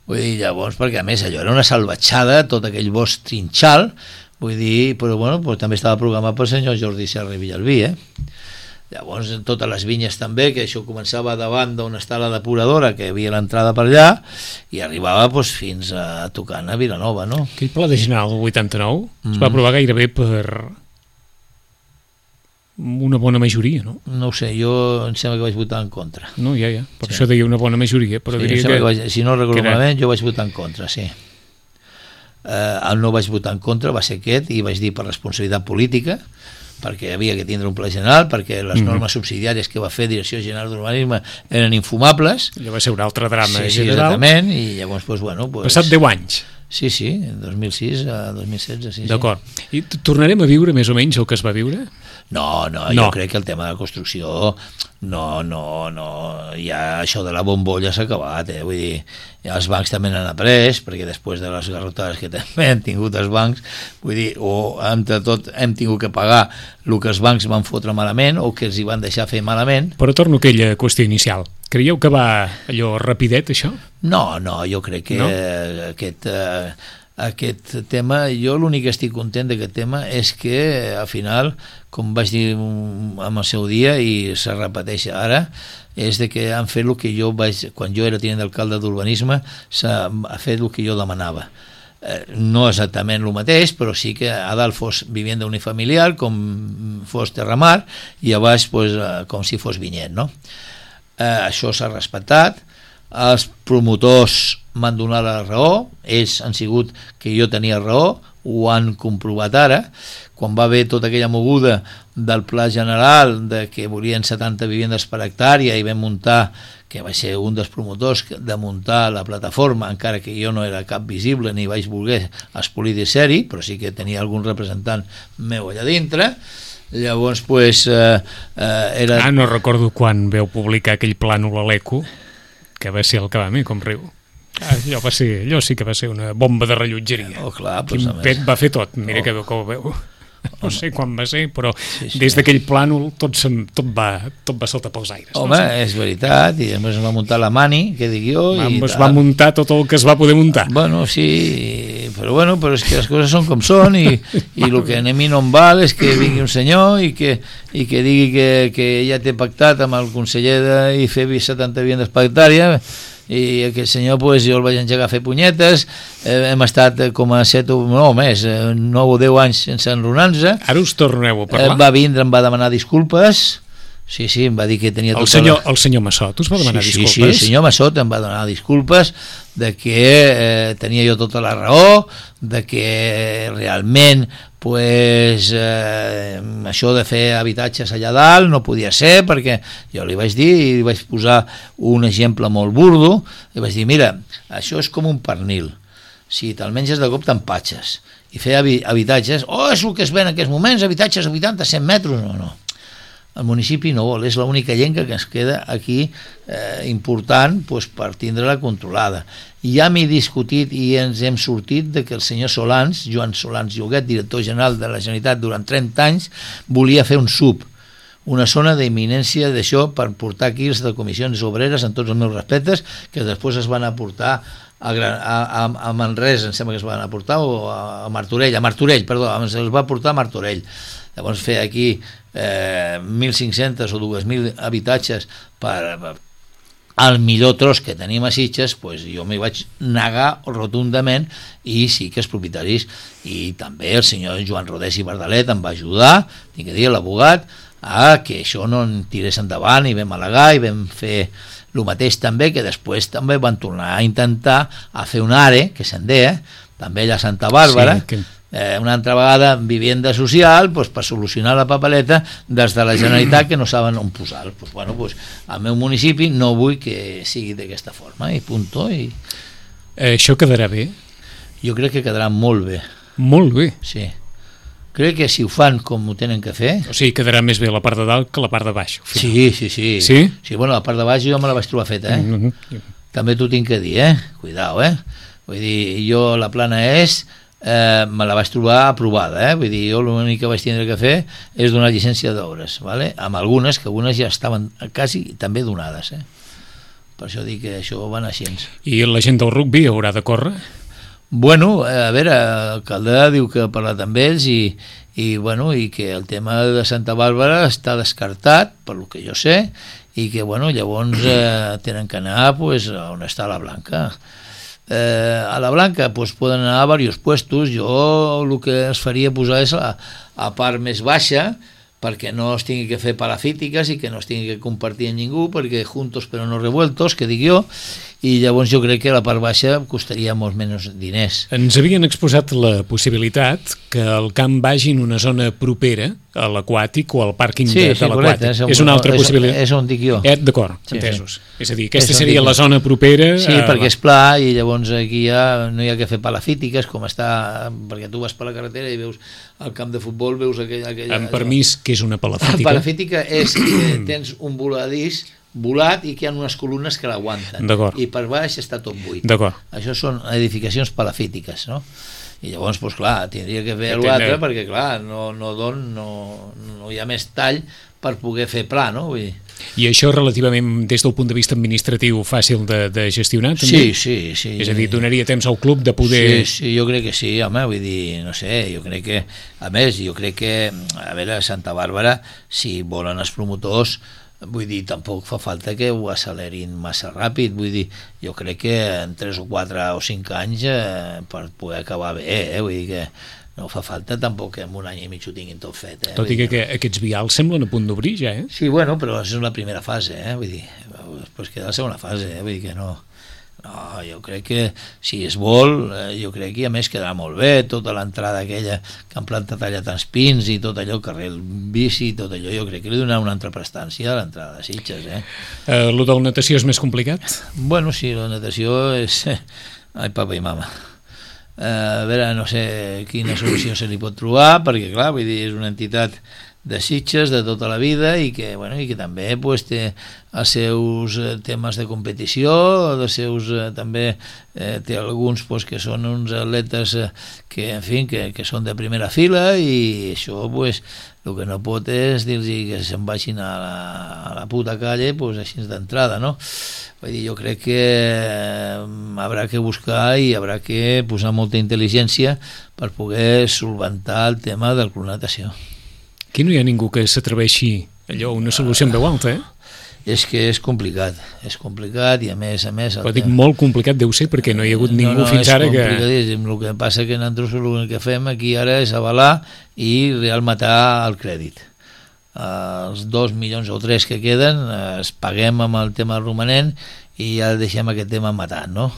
Vull dir, llavors, perquè a més allò era una salvatjada, tot aquell bosc trinxal, vull dir, però bueno, pues, també estava programat pel senyor Jordi Serra i Villalbí, eh? Llavors, totes les vinyes també, que això començava davant d'on està la depuradora, que hi havia l'entrada per allà, i arribava pues, fins a tocant a Vilanova, no? Aquell pla de general del vuitanta-nou mm. es va aprovar gairebé per una bona majoria, no? No ho sé, jo em sembla que vaig votar en contra. No, ja, ja, per sí. això deia una bona majoria, però sí, diria que, que... vaig, si no recordo malament, jo vaig votar en contra, sí. Eh, el no vaig votar en contra va ser aquest, i vaig dir per responsabilitat política, perquè havia que tindre un pla general, perquè les mm-hmm. normes subsidiàries que va fer Direcció General d'Urbanisme eren infumables. Allò va ser un altre drama sí, general. Sí, exactament, i llavors, pues, bueno... Pues... Passat deu anys. Sí, sí, en dos mil sis a dos mil setze, sí. D'acord. I tornarem a viure més o menys el que es va viure? No, no, no, jo crec que el tema de la construcció no, no, no, ja això de la bombolla s'ha acabat, eh? Vull dir, ja els bancs també n'han après, perquè després de les garrotades que també han tingut els bancs, vull dir, o entre tot hem tingut que pagar el que els bancs van fotre malament o que els hi van deixar fer malament. Però torno a aquella qüestió inicial. Creieu que va allò rapidet, això? No, no, jo crec que no? aquest... Eh, aquest tema, jo l'únic que estic content d'aquest tema és que al final, com vaig dir en el seu dia i se repeteix ara, és de que han fet el que jo vaig, quan jo era tinent d'alcalde d'urbanisme, s'ha fet el que jo demanava. Eh, no exactament el mateix, però sí que a dalt fos vivienda unifamiliar, com fos terramar, i a baix pues, com si fos vinyet, no? Eh, això s'ha respectat, els promotors m'han donat la raó, ells han sigut que jo tenia raó, ho han comprovat ara, quan va haver tota aquella moguda del pla general de que volien setanta vivendes per hectàrea i vam muntar, que va ser un dels promotors de muntar la plataforma, encara que jo no era cap visible ni vaig voler espolir de ser-hi, però sí que tenia algun representant meu allà dintre. Llavors pues, eh, eh, era... Ah, no recordo quan veu publicar aquell plànol a l'Eco, que va ser el que va a mi, com riu. Ah, allò, va ser, allò sí que va ser una bomba de rellotgeria. Oh, clar, pues, Quin pet va fer tot, mira oh. que, que ho veu. No sé quan va ser, però sí, sí. Des d'aquell plànol tot, sem, tot, va, tot va saltar pels aires. Home, no? És veritat, i després es va muntar la Mani, que dic jo... Va, i es va muntar tot el que es va poder muntar. Bueno, sí, però bueno, però és que les coses són com són, i, i el que a mi no em val és que vingui un senyor i que, i que digui que, que ja té pactat amb el conseller de, i fer setanta vivendes per hectàrea, i aquest senyor pues, jo el vaig engegar a fer punyetes, eh, hem estat com a set o no, més, eh, nou o deu anys sense enronar-nos. Ara us torneu a parlar? Eh, va vindre, em va demanar disculpes, sí, sí, em va dir que tenia... El senyor, la... el senyor Massot us va demanar sí, disculpes? Sí, sí, el senyor Massot em va demanar disculpes de que eh, tenia jo tota la raó, de que realment pues, eh, això de fer habitatges allà dalt no podia ser, perquè jo li vaig dir i li vaig posar un exemple molt burdo, i vaig dir, mira, això és com un pernil, si te'l menges de cop t'empatxes, i fer habitatges, oh, és el que es ven en aquests moments, habitatges a vuitanta a cent metres, no, no. El municipi no vol, és l'única llenca que ens queda aquí eh, important pues, per tindre-la controlada. Ja m'he discutit i ens hem sortit de que el senyor Solans, Joan Solans Lloguet, director general de la Generalitat durant trenta anys, volia fer un sub, una zona d'imminència d'això per portar aquí els de comissions obreres, en tots els meus respectes, que després es van aportar a, a, a Manresa, em sembla que es van aportar, o a Martorell, a Martorell, perdó, es va portar a Martorell. Llavors fer aquí eh, mil cinc-cents o dos mil habitatges per, per al millor tros que tenim a Sitges, pues jo m'hi vaig negar rotundament, i sí que els propietaris, i també el senyor Joan Rodés i Bardalet em va ajudar, tinc que dir, l'abogat, a que això no en tirés endavant, i vam al·legar i vam fer el mateix també, que després també van tornar a intentar a fer un ARE, que se'n deia, també allà a Santa Bàrbara, sí, que... Eh, una altra vegada vivienda social pues, per solucionar la papeleta des de la Generalitat que no saben on posar pues, bueno, pues, al meu municipi no vull que sigui d'aquesta forma i punto i... eh, això quedarà bé? Jo crec que quedarà molt bé. Molt bé? Sí, crec que si ho fan com ho tenen que fer... O sigui, quedarà més bé la part de dalt que la part de baix. Sí, sí, sí, sí. Sí, bueno, la part de baix jo me la vaig trobar feta, eh? Mm-hmm. També t'ho tinc que dir, eh? Cuidao, eh? Vull dir, jo la plana és... Eh, me la vaig trobar aprovada, eh? Vull dir, jo l'únic que vaig tindre que fer és donar llicència d'obres, vale? Amb algunes, que algunes ja estaven quasi també donades, eh? Per això dic que això va anar així. I la gent del rugby haurà de córrer? Bueno, a veure, el Caldà diu que ha parlat amb ells i, i, bueno, i que el tema de Santa Bàrbara està descartat, per lo que jo sé, i que bueno, llavors eh, tenen que anar pues, on està la Blanca. Eh, a la Blanca pues, poden anar a diversos puestos. Jo el que es faria posar és a, a part més baixa, perquè no es tingui que fer parafítiques i que no es tingui que compartir amb ningú, perquè juntos però no revueltos, que dic jo, i llavors jo crec que la part baixa costaria molts menys diners. Ens havien exposat la possibilitat que el camp vagi en una zona propera a l'aquàtic o al pàrquing sí, de, sí, de l'aquàtic. És, és una altra és, possibilitat. És on dic jo. Eh, D'acord, sí, entesos. Sí. És a dir, aquesta és seria la jo. zona propera... Sí, a... perquè és pla i llavors aquí ja no hi ha que fer palafítiques, com està, perquè tu vas per la carretera i veus al camp de futbol, veus aquell... aquell amb permís, què és una palafítica? Palafítica és que tens un voladís volat i que hi ha unes columnes que l'aguanten i per baix està tot buit. Això són edificacions palafítiques, no? I llavors, doncs clar, tindria que fer l'altre perquè clar, no, no, don, no, no hi ha més tall per poder fer pla, no? Vull dir, I això relativament, des del punt de vista administratiu, fàcil de, de gestionar, també? Sí, sí, sí. És a dir, donaria temps al club de poder... Sí, sí, jo crec que sí, home, vull dir, no sé, jo crec que, a més, jo crec que, a veure, Santa Bàrbara, si volen els promotors, vull dir, tampoc fa falta que ho accelerin massa ràpid, vull dir, jo crec que en tres o quatre o cinc anys eh, per poder acabar bé, eh, vull dir que no fa falta tampoc que en un any i mig ho tinguin tot fet. Eh? Tot i que, que aquests vials semblen a punt d'obrir ja, eh? Sí, bueno, però és la primera fase, eh? Vull dir, després queda la segona fase, eh? Vull dir que no... No, jo crec que si es vol, eh, jo crec que a més quedarà molt bé, tota l'entrada aquella que han plantat allà tants pins i tot allò, carrer bici, tot allò, jo crec que li donarà una altra prestància a l'entrada de Sitges, eh? Eh, lo de la natació és més complicat? Bueno, sí, la natació és... Ai, papa i mama. Uh, a veure, no sé quina solució se li pot trobar, perquè clar, vull dir, és una entitat de Sitges de tota la vida i que, bueno, i que també pues, té els seus temes de competició, els seus eh, també eh, té alguns pues, que són uns atletes eh, que, en fi, que, que són de primera fila i això pues, el que no pot és dir-los que se'n vagin a la, a la puta calle pues, així d'entrada, no? Vull dir, jo crec que haurà que buscar i haurà que posar molta intel·ligència per poder solventar el tema de la natació. Aquí no hi ha ningú que s'atreveixi allò, una solució en veu alta, eh? És que és complicat, és complicat i a més a més... Però dic molt complicat deu ser perquè no hi ha hagut ningú no, no, fins ara que... No, és complicadíssim, el que passa que nosaltres el que fem aquí ara és avalar i real matar el crèdit. Els dos milions o tres que queden es paguem amb el tema romanent i ja deixem aquest tema matant, no?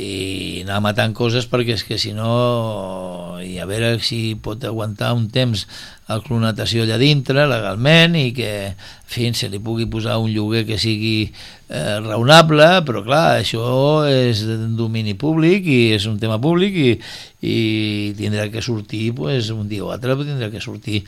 I anar matant coses perquè és que si no i a veure si pot aguantar un temps el club natació allà dintre legalment i que fins se li pugui posar un lloguer que sigui eh, raonable, però clar, això és un domini públic i és un tema públic i, i tindrà que sortir pues, un dia o altre tindrà que sortir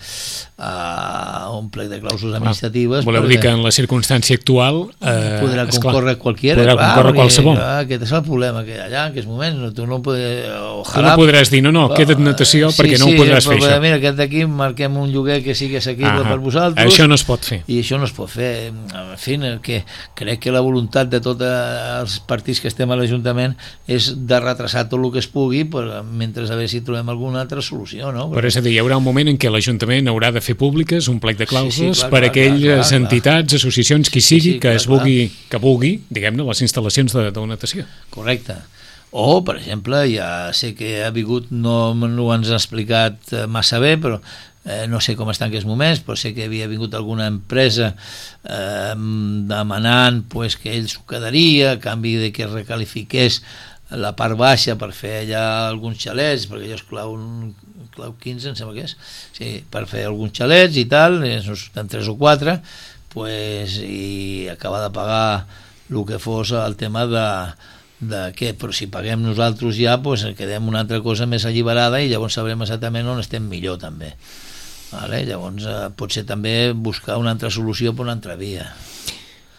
a un plec de clàusules administratives. Voleu dir que en la circumstància actual eh, podrà concórrer qualquiera, podrà clar, concórrer qualsevol. Clar, aquest és el problema, que allà en aquests moments no, tu no, podràs, tu no podràs dir no, no, queda't natació sí, perquè no sí, ho podràs però, fer això. Mira, aquest d'aquí marquem un lloguer que sigui assequible per vosaltres. Això no es pot fer. I això no es pot fer. En fi, que crec que la voluntat de tots els partits que estem a l'Ajuntament és de retrasar tot el que es pugui per, mentre a veure si trobem alguna altra solució, no? Però és a dir, hi haurà un moment en què l'Ajuntament haurà de fer públiques un plec de clàusules sí, sí, clar, per clar, aquelles clar, clar, entitats, associacions, qui sigui, sí, sí, que clar, es vulgui, que vulgui, diguem-ne, les instal·lacions de, de natació. Correcte. O, per exemple, ja sé que ha vingut, no, no ens ha explicat massa bé, però eh, no sé com està en aquests moments, però sé que havia vingut alguna empresa eh, demanant pues, que ell s'ho quedaria a canvi de que recalifiqués la part baixa per fer allà alguns xalets, perquè allò és clau, clau quinze, em sembla que és, sí, per fer alguns xalets i tal, en tres o quatre, pues, i acabar de pagar el que fos el tema de de què, però si paguem nosaltres ja pues, quedem una altra cosa més alliberada i llavors sabrem exactament on estem millor també, vale? Llavors eh, pot ser també buscar una altra solució per una altra via.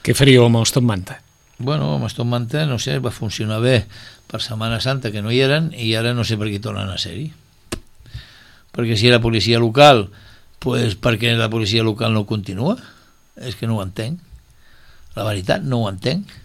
Què faríeu amb els Top Manta? Bueno, amb els Top Manta no sé, va funcionar bé per Setmana Santa que no hi eren i ara no sé per què tornen a ser-hi, perquè si era policia local pues, per què la policia local no continua? És que no ho entenc, la veritat no ho entenc.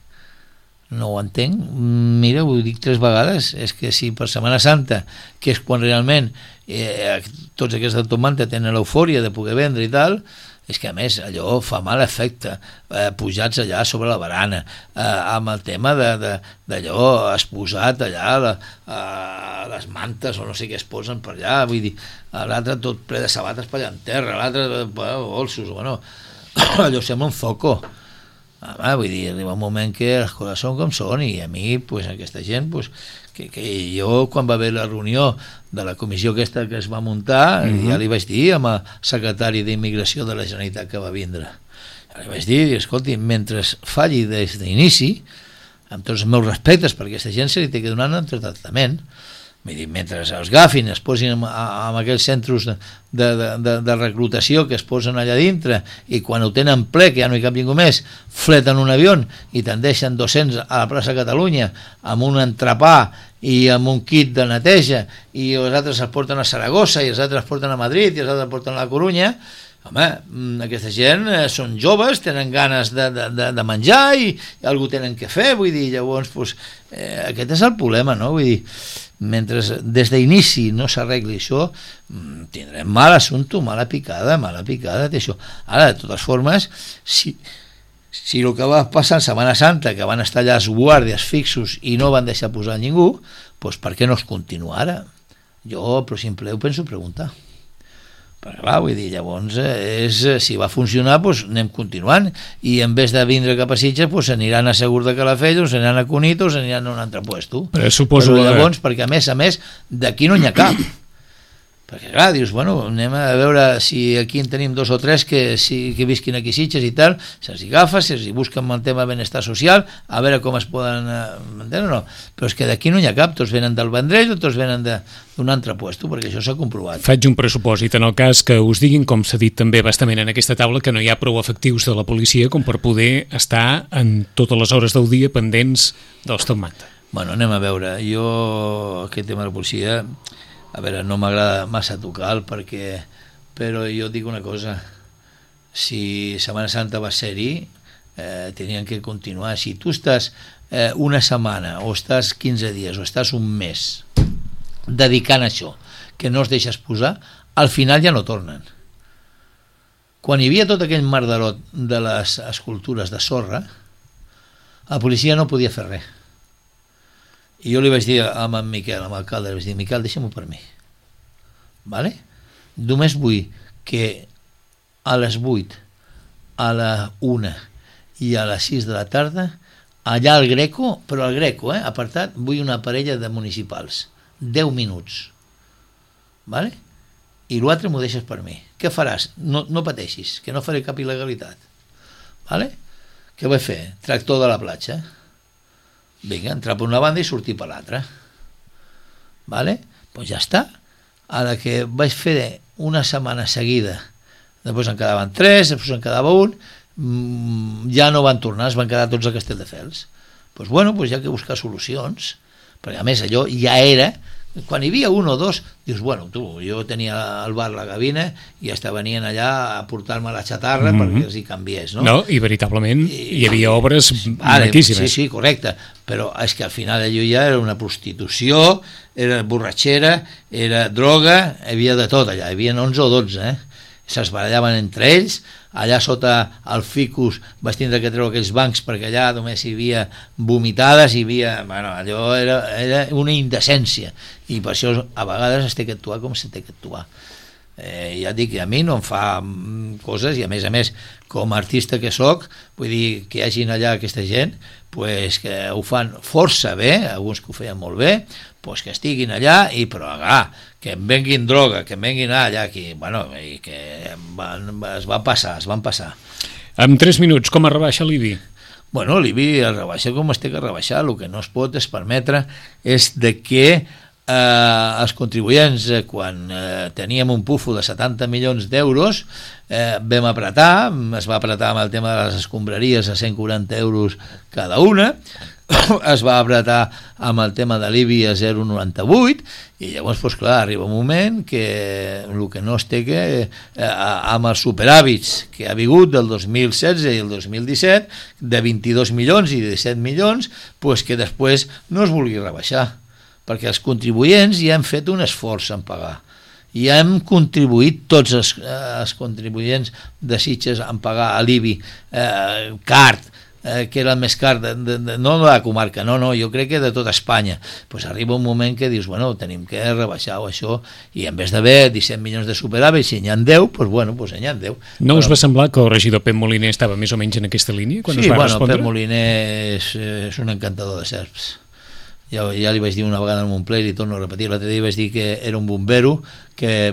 No ho entenc, mira, ho dic tres vegades, és que si per Setmana Santa, que és quan realment eh, tots aquests Top Manta tenen l'eufòria de poder vendre i tal, és que a més allò fa mal efecte, eh, pujats allà sobre la barana, eh, amb el tema d'allò exposat allà, la, eh, les mantes o no sé què es posen per allà, vull dir, l'altre tot ple de sabates per allà en terra, l'altre bolsos, bueno, allò sembla un zoco. Ah, vull dir, arriba un moment que les coses són com són i a mi, pues, aquesta gent pues, que, que jo quan va haver la reunió de la comissió aquesta que es va muntar uh-huh. ja li vaig dir amb el secretari d'Immigració de la Generalitat que va vindre, ja li vaig dir, escolti, mentre falli des d'inici, amb tots els meus respectes, perquè aquesta gent se li té que donar un altre tractament. Vull dir, mentre els agafin, es posin en, en aquells centres de, de, de, de reclutació que es posen allà dintre i quan ho tenen ple, que ja no hi cap ningú més, fleten un avió i te'n deixen dos-cents a la plaça Catalunya amb un entrepà i amb un kit de neteja i els altres es porten a Saragossa i els altres es porten a Madrid i els altres es porten a la Corunya, home, aquesta gent són joves, tenen ganes de, de, de menjar i, i algú tenen que fer, vull dir, llavors pues, eh, aquest és el problema, no? Vull dir, mentre des d'inici no s'arregli això, tindrem mal assumpte, mala picada, mala picada d'això. Ara, de totes formes, si, si el que va passar en Setmana Santa, que van estar allà els guàrdies fixos i no van deixar posar ningú, doncs per què no es continua ara? Jo, per simple, ho penso preguntar. Perquè clar, vull dir, llavors és, si va funcionar, doncs anem continuant i en vez de vindre cap a Sitges doncs aniran a Segur de Calafell o s'aniran a Cunit o s'aniran a un altre puesto. Però suposo Però llavors, perquè a més a més d'aquí no n'hi ha cap, perquè clar, dius, bueno, anem a veure si aquí en tenim dos o tres que, si, que visquin aquí Sitges i tal, se'ls agafa, se'ls busquen el tema de benestar social, a veure com es poden entendre o no, però és que d'aquí no n'hi ha cap, tots venen del Vendrell o tots venen d'un altre puesto, perquè això s'ha comprovat. Faig un pressupòsit en el cas que us diguin, com s'ha dit també bastament en aquesta taula, que no hi ha prou efectius de la policia com per poder estar en totes les hores del dia pendents dels top manta. Bueno, anem a veure, jo aquest tema de la policia, a veure, no m'agrada massa tocar perquè, però jo dic una cosa, si Setmana Santa va ser-hi, eh, tenien que continuar. Si tu estàs eh, una setmana o estàs quinze dies o estàs un mes dedicant a això, que no es deixes posar, al final ja no tornen. Quan hi havia tot aquell mardarot de les escultures de sorra, la policia no podia fer res. I jo li vaig dir amb en Miquel, amb l'alcalde, li vaig dir, Miquel, deixa'm-ho per mi. Vale? Només vull que a les vuit, a la una i a les sis de la tarda, allà al Greco, però al Greco, eh, apartat, vull una parella de municipals. deu minuts. Vale? I l'altre m'ho deixes per mi. Què faràs? No, no pateixis, que no faré cap il·legalitat. Vale? Què vaig fer? Tractor de la platja. Vinga, entrar per una banda i sortir per l'altra. Vale? Doncs ja està. A la que vaig fer una setmana seguida, després en quedaven tres, després en quedava un, ja no van tornar, es van quedar tots a Castelldefels. Doncs bueno, doncs hi ha que buscar solucions, perquè a més allò ja era, quan hi havia un o dos, dius, bueno, tu, jo tenia al bar la gavina i hasta venien allà a portar-me la xatarra mm-hmm. perquè els hi canviés, no? No, i veritablement I, hi havia obres vale, maquíssimes. Sí, sí, correcte, però és que al final allò ja era una prostitució, era borratxera, era droga, hi havia de tot allà, hi havia onze o dotze, eh? Se'ls barallaven entre ells, allà sota el ficus vaig tindre que treure aquells bancs perquè allà només hi havia vomitades, hi havia, bueno, allò era, era una indecència i per això a vegades es té que actuar com se té que actuar. Eh, ja dic que a mi no em fa coses i a més a més com a artista que soc, vull dir que hi hagin allà aquesta gent pues, que ho fan força bé, alguns que ho feien molt bé, pues, que estiguin allà i però ah, que em venguin droga, que em venguin allà aquí, bueno, i que van, es van passar, es van passar. En tres minuts, com es rebaixa l'I B I? Bueno, l'I B I es rebaixa com es té que rebaixar, el que no es pot es permetre és de que eh, els contribuents, eh, quan eh, teníem un pufo de setanta milions d'euros, eh, vam apretar, es va apretar amb el tema de les escombraries a cent quaranta euros cada una, es va apretar amb el tema de l'I B I a zero coma noranta-vuit i llavors, doncs clar, arriba un moment que el que no es té que eh, amb els superàvits que ha hagut del dos mil setze i el dos mil disset de vint-i-dos milions i disset milions, doncs que després no es vulgui rebaixar perquè els contribuents ja han fet un esforç en pagar i hem contribuït tots els, eh, els contribuents de Sitges en pagar a l'I B I eh, card Eh, que era el més car, de, de, de, no de la comarca, no, no, jo crec que de tota Espanya. Pues arriba un moment que dius, bueno, tenim que rebaixar això, i en vez d'haver disset milions de superàvit, si n'hi ha deu, pues bueno, pues n'hi ha deu. No però... us va semblar que el regidor Pep Moliner estava més o menys en aquesta línia, quan sí, us va bueno, respondre? Pep Moliner és, és un encantador de serps. Ja, ja li vaig dir una vegada en un ple i li torno a repetir, l'altre dia vaig dir que era un bombero que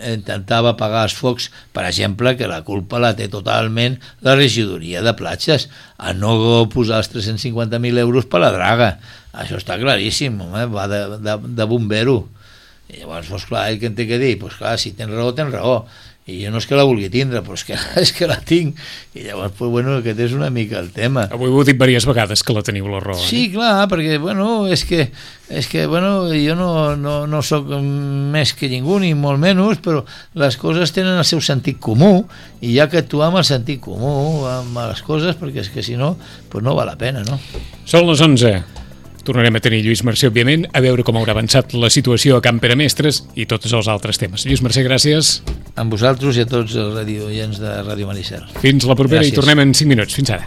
intentava apagar els focs, per exemple, que la culpa la té totalment la regidoria de platges, a no posar els tres-cents cinquanta mil euros per la draga. Això està claríssim, home, va de, de, de bombero. I llavors, doncs clar, ell que en té que dir? Doncs clar, si tens raó, tens raó. i jo no és que la vulgui tindre, però és que, és que la tinc, i llavors, pues, bueno, aquest és una mica el tema. Avui ho he dit diverses vegades que la teniu la raó. Sí, clar, perquè, bueno, és que, és que bueno, jo no, no, no sóc més que ningú, ni molt menys, però les coses tenen el seu sentit comú, i hi ha que actuar amb el sentit comú, amb les coses, perquè és que si no, pues no val la pena, no? Són les onze. Tornarem a tenir Lluís Mercè, òbviament, a veure com haurà avançat la situació a Can Peremestres i tots els altres temes. Lluís Mercè, gràcies. Amb vosaltres i a tots els radioients de Ràdio Maricel. Fins la propera. Gràcies. I tornem en cinc minuts. Fins ara.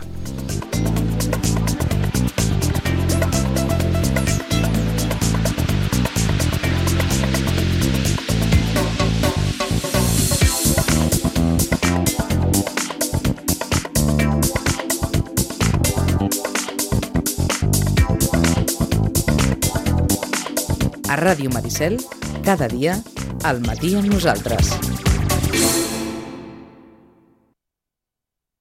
A Ràdio Maricel, cada dia, al matí amb nosaltres.